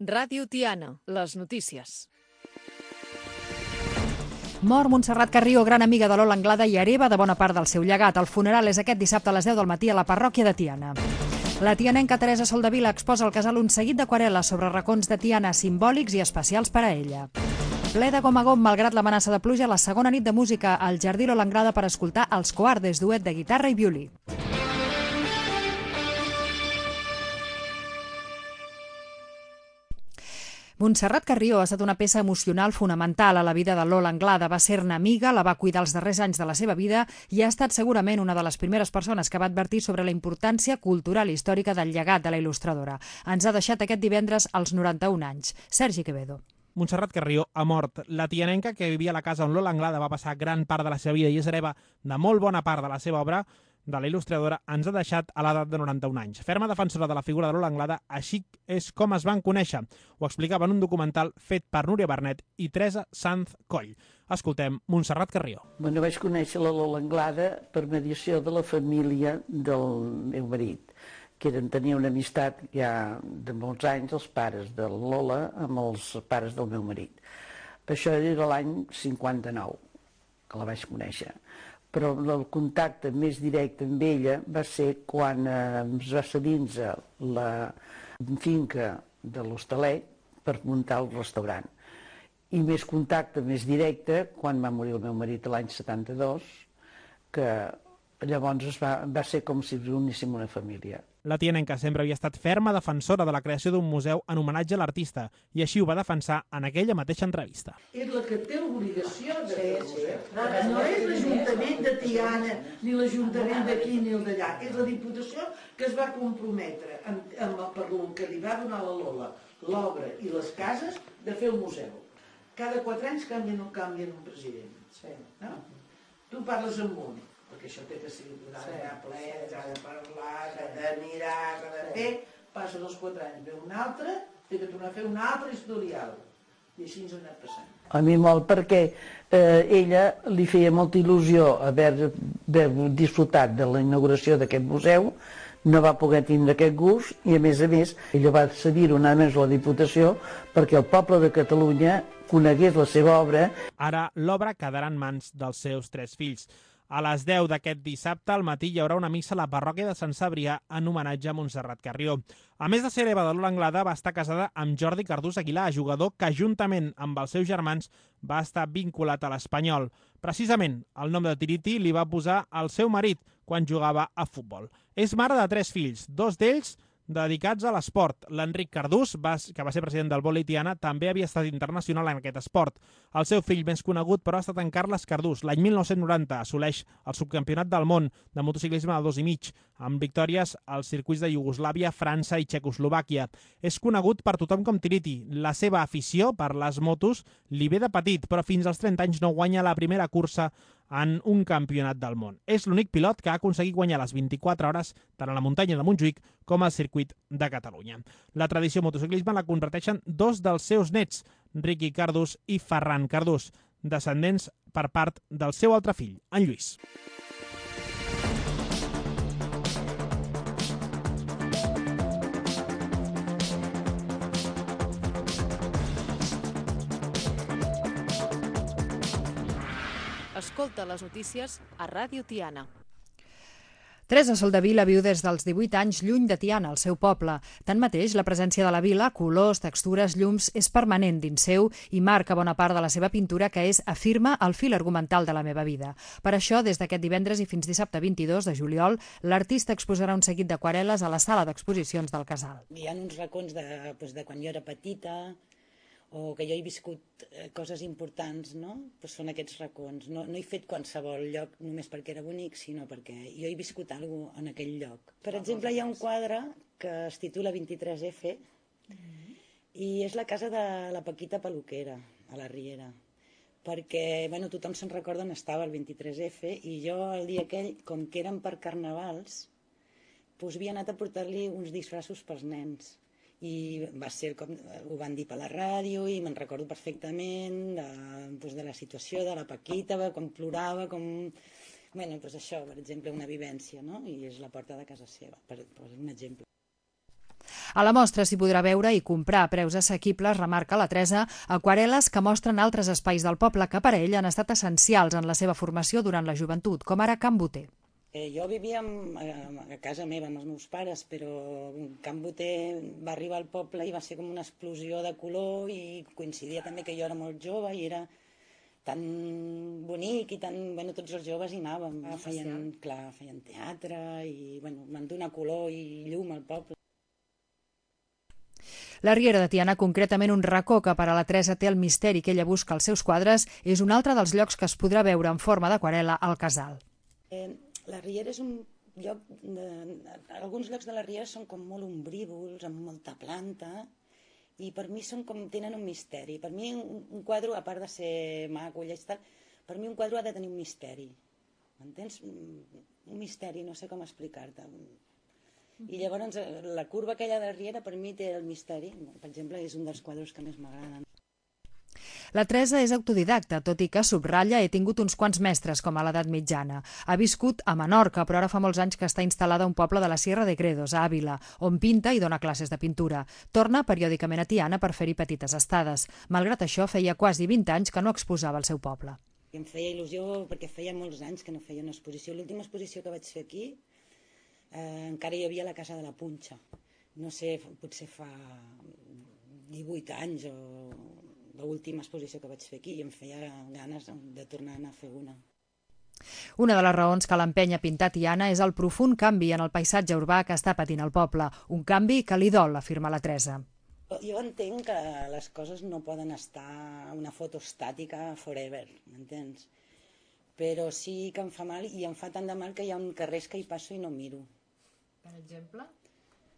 Ràdio Tiana, les notícies. Mor Montserrat Carrió, gran amiga de Lola Anglada i hereva de bona part del seu llegat. El funeral és aquest dissabte a les 10 del matí a la parròquia de Tiana. La tianenca Teresa Soldevila exposa al casal un seguit d'aquarel·les sobre racons de Tiana simbòlics i especials per a ella. Ple de gom a gom, malgrat l'amenaça de pluja, la segona nit de música al Jardí Lola Anglada per escoltar els Coardes, duet de guitarra i violí. Montserrat Carrió ha estat una peça emocional fonamental a la vida de Lola Anglada. Va ser-ne amiga, la va cuidar els darrers anys de la seva vida i ha estat segurament una de les primeres persones que va advertir sobre la importància cultural i històrica del llegat de la il·lustradora. Ens ha deixat aquest divendres als 91 anys. Sergi Quevedo. Montserrat Carrió ha mort. La tianenca, que vivia a la casa on Lola Anglada va passar gran part de la seva vida i és hereva de molt bona part de la seva obra, de la il·lustradora, ens ha deixat a l'edat de 91 anys. Ferma defensora de la figura de Lola Anglada, així és com es van conèixer. Ho explicava en un documental fet per Núria Bernet i Teresa Sanz Coll. Escoltem Montserrat Carrió. Bueno, vaig conèixer la Lola Anglada per mediació de la família del meu marit, que tenia una amistat ja de molts anys, els pares de Lola amb els pares del meu marit. Això era l'any 59, que la vaig conèixer. Però el contacte més directe amb ella va ser quan es va cedir-nos la finca de l'Hostalet per muntar el restaurant. I més contacte, més directe, quan va morir el meu marit l'any 72, que llavors va ser com si uníssim una família. La tianenca sempre havia estat ferma defensora de la creació d'un museu en homenatge a l'artista i així ho va defensar en aquella mateixa entrevista. És la que té l'obligació de fer el museu. No és l'Ajuntament de Tiana, ni l'Ajuntament d'aquí ni el d'allà. És la Diputació que es va comprometre per el que li va donar la Lola, l'obra i les cases, de fer el museu. Cada 4 anys canvien un president. No? Tu parles amb un, perquè això té que ser ple, s'ha de parlar, s'ha de mirar, s'ha de fer, passen els 4 anys, ve un altre, té que tornar a fer un altre historial. I així ens ha anat passant. A mi molt, perquè ella li feia molta il·lusió haver disfrutat de la inauguració d'aquest museu, no va poder tindre aquest gust i, a més, ella va cedir una més a la Diputació perquè el poble de Catalunya conegués la seva obra. Ara l'obra quedarà en mans dels seus 3 fills. A les 10 d'aquest dissabte al matí hi haurà una missa a la parròquia de Sant Cebrià en homenatge a Montserrat Carrió. A més de ser hereva de Lola Anglada, va estar casada amb Jordi Cardús Aguilar, jugador que juntament amb els seus germans va estar vinculat a l'Espanyol. Precisament el nom de Tiriti li va posar el seu marit quan jugava a futbol. És mare de 3 fills, 2 d'ells dedicats a l'esport. L'Enric Cardús, que va ser president del vòlei Tiana, també havia estat internacional en aquest esport. El seu fill més conegut, però, ha estat en Carles Cardús. L'any 1990 assoleix el subcampionat del món de motociclisme de 2,5, amb victòries als circuits de Iugoslàvia, França i Txecoslovàquia. És conegut per tothom com Tiriti. La seva afició per les motos li ve de petit, però fins als 30 anys no guanya la primera cursa en un campionat del món. És l'únic pilot que ha aconseguit guanyar les 24 hores tant a la muntanya de Montjuïc com al circuit de Catalunya. La tradició motociclisme la comparteixen 2 dels seus nets, Riqui Cardús i Ferran Cardús, descendents per part del seu altre fill, en Lluís. Escolta les notícies a Ràdio Tiana. Teresa Soldevila viu des dels 18 anys lluny de Tiana, el seu poble. Tanmateix, la presència de la vila, colors, textures, llums, és permanent dins seu i marca bona part de la seva pintura, que és, afirma, el fil argumental de la meva vida. Per això, des d'aquest divendres i fins dissabte 22 de juliol, l'artista exposarà un seguit d'aquarel·les a la sala d'exposicions del casal. Hi ha uns racons de quan jo era petita, o que jo he viscut coses importants, no? Pues són aquests racons. No he fet qualsevol lloc només perquè era bonic, sinó perquè jo he viscut alguna cosa en aquell lloc. Per exemple, hi ha un quadre que es titula 23F i és la casa de la Paquita Peluquera, a la Riera. Perquè tothom se'n recorda on estava el 23F i jo el dia aquell, com que eren per carnavals, havia anat a portar-li uns disfressos pels nens. I va ser com ho van dir per la ràdio i me'n recordo perfectament de la situació de la Paquita, com plorava, com... això, per exemple, una vivència, no? I és la porta de casa seva, per un exemple. A la mostra s'hi podrà veure i comprar a preus assequibles, remarca la Teresa, aquarel·les que mostren altres espais del poble que per a ell han estat essencials en la seva formació durant la joventut, com ara Can Boter. Jo vivia a casa meva amb els meus pares, però Can Boter va arribar al poble i va ser com una explosió de color i coincidia també que jo era molt jove i era tan bonic i tan... Bueno, tots els joves hi anàvem, feien teatre i van donar color i llum al poble. La Riera de Tiana, concretament un racó que per a la Teresa té el misteri que ella busca als seus quadres, és un altre dels llocs que es podrà veure en forma d'aquarel·la al casal. La Riera és un lloc... Alguns llocs de la Riera són com molt ombrívols, amb molta planta, i per mi tenen un misteri. Per mi un quadre, a part de ser maco i tal, per mi un quadre ha de tenir un misteri. M'entens? Un misteri, no sé com explicar-te. I llavors la curva aquella de la Riera per mi té el misteri. Per exemple, és un dels quadres que més m'agraden. La Teresa és autodidacta, tot i que subratlla, he tingut uns quants mestres com a l'edat mitjana. Ha viscut a Menorca, però ara fa molts anys que està instal·lada a un poble de la Sierra de Gredos, a Àvila, on pinta i dona classes de pintura. Torna periòdicament a Tiana per fer-hi petites estades. Malgrat això, feia quasi 20 anys que no exposava al seu poble. Em feia il·lusió perquè feia molts anys que no feia una exposició. L'última exposició que vaig fer aquí encara hi havia la Casa de la Punxa. No sé, potser fa 18 anys o l'última exposició que vaig fer aquí i em feia ganes de tornar a fer una. Una de les raons que l'empeny a pintar Tiana és el profund canvi en el paisatge urbà que està patint el poble. Un canvi que li dol, afirma la Teresa. Jo entenc que les coses no poden estar una foto estàtica forever, m'entens? Però sí que em fa mal i em fa tant de mal que hi ha carrers que hi passo i no miro. Per exemple?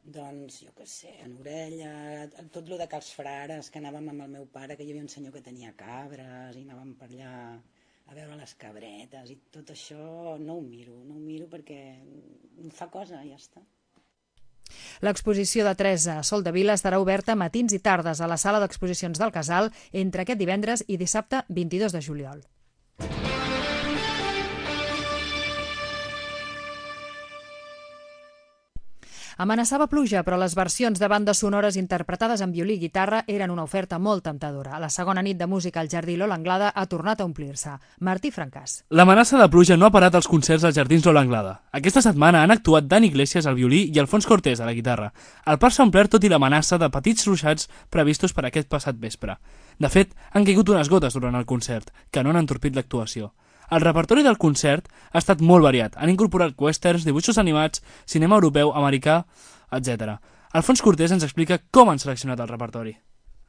Doncs, jo què sé, en Orella, tot lo de Cals Frares, que anàvem amb el meu pare, que hi havia un senyor que tenia cabres, i anàvem per allà a veure les cabretes, i tot això no ho miro perquè em fa cosa i ja està. L'exposició de Teresa a Soldevila estarà oberta matins i tardes a la sala d'exposicions del Casal entre aquest divendres i dissabte 22 de juliol. Amenaçava pluja, però les versions de bandes sonores interpretades en violí i guitarra eren una oferta molt temptadora. La segona nit de música al Jardí Lola Anglada ha tornat a omplir-se. Martí Francàs. L'amenaça de pluja no ha parat als concerts als Jardins Lola Anglada. Aquesta setmana han actuat Dani Iglesias al violí i Alfons Cortés a la guitarra. El parc s'ha omplert tot i l'amenaça de petits ruixats previstos per aquest passat vespre. De fet, han caigut unes gotes durant el concert, que no han entorpit l'actuació. El repertori del concert ha estat molt variat. Han incorporat westerns, dibuixos animats, cinema europeu, americà, etc. Alfons Cortés ens explica com han seleccionat el repertori.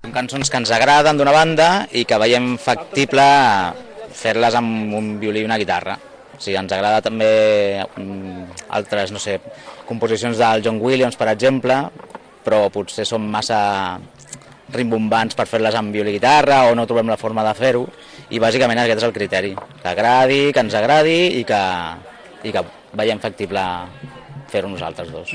Són cançons que ens agraden d'una banda i que veiem factible fer-les amb un violí i una guitarra. O sigui, ens agrada també altres, no sé, composicions del John Williams, per exemple, però potser són massa rimbombants per fer-les amb violí i guitarra o no trobem la forma de fer-ho. I bàsicament aquest és el criteri, que agradi, que ens agradi i que veiem factible fer-ho nosaltres dos.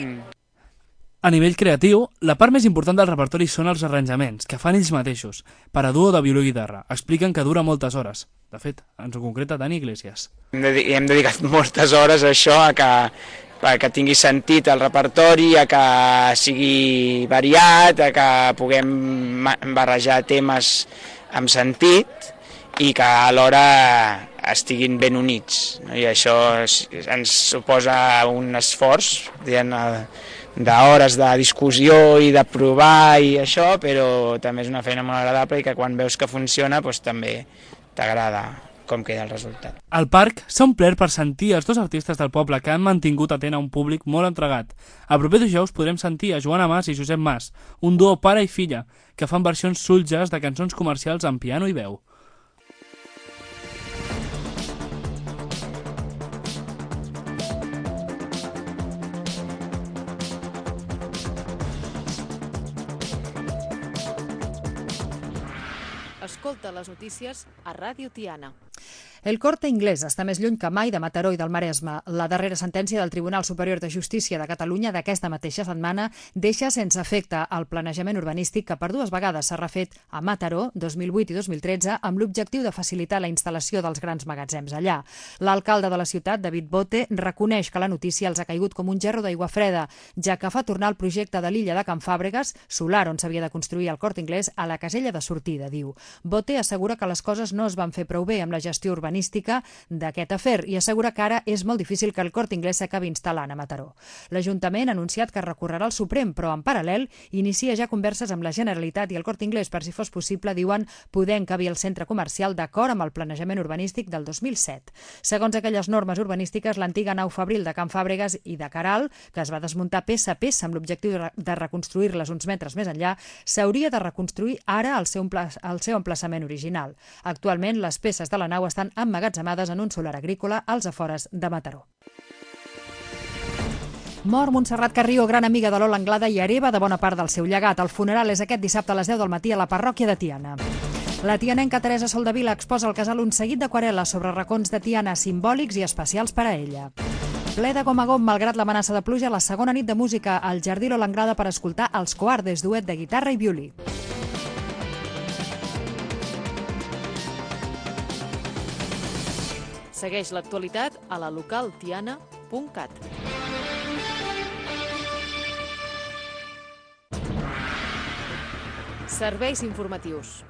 A nivell creatiu, la part més important del repertori són els arranjaments, que fan ells mateixos, per a duo de violí i guitarra. Expliquen que dura moltes hores. De fet, ens ho concreta Dani Iglesias. Hem dedicat moltes hores a això, que tingui sentit el repertori, a que sigui variat, a que puguem barrejar temes amb sentit i que alhora estiguin ben units. I això ens suposa un esforç d'hores de discussió i de provar i això, però també és una feina molt agradable i que quan veus que funciona doncs també t'agrada com queda el resultat. El parc s'ha omplert per sentir els dos artistes del poble que han mantingut atent a un públic molt entregat. El proper dijous podrem sentir a Joana Mas i Josep Mas, un duo pare i filla, que fan versions soul-jazz de cançons comercials amb piano i veu. Escolta les notícies a Ràdio Tiana. El Corte Inglés està més lluny que mai de Mataró i del Maresme. La darrera sentència del Tribunal Superior de Justícia de Catalunya d'aquesta mateixa setmana deixa sense efecte el planejament urbanístic que per 2 vegades s'ha refet a Mataró, 2008 i 2013, amb l'objectiu de facilitar la instal·lació dels grans magatzems allà. L'alcalde de la ciutat, David Bote, reconeix que la notícia els ha caigut com un gerro d'aigua freda, ja que fa tornar el projecte de l'illa de Can Fàbregas, solar on s'havia de construir el Corte Inglés, a la casella de sortida, diu. Bote assegura que les coses no es van fer prou bé amb la gestió urbanística d'aquest afer i assegura que ara és molt difícil que el Corte Inglés s'acabi instal·lant a Mataró. L'Ajuntament ha anunciat que recorrerà al Suprem, però en paral·lel inicia ja converses amb la Generalitat i el Corte Inglés per si fos possible, diuen, poder encabir el centre comercial d'acord amb el planejament urbanístic del 2007. Segons aquelles normes urbanístiques, l'antiga nau Fabril de Can Fàbregas i de Caral, que es va desmuntar peça a peça amb l'objectiu de reconstruir-les uns metres més enllà, s'hauria de reconstruir ara al seu emplaçament original. Actualment, les peces de la nau estan emmagatzemades en un solar agrícola als afores de Mataró. Mor Montserrat Carrió, gran amiga de Lola Anglada i hereva de bona part del seu llegat. El funeral és aquest dissabte a les 10 del matí a la parròquia de Tiana. La tianenca Teresa Soldevila exposa al casal un seguit d'aquarel·les sobre racons de Tiana simbòlics i especials per a ella. Ple de gom a gom, malgrat l'amenaça de pluja, la segona nit de música al Jardí Lola Anglada per escoltar els Coardes, duet de guitarra i violí. Segueix l'actualitat a la localtiana.cat. Serveis informatius.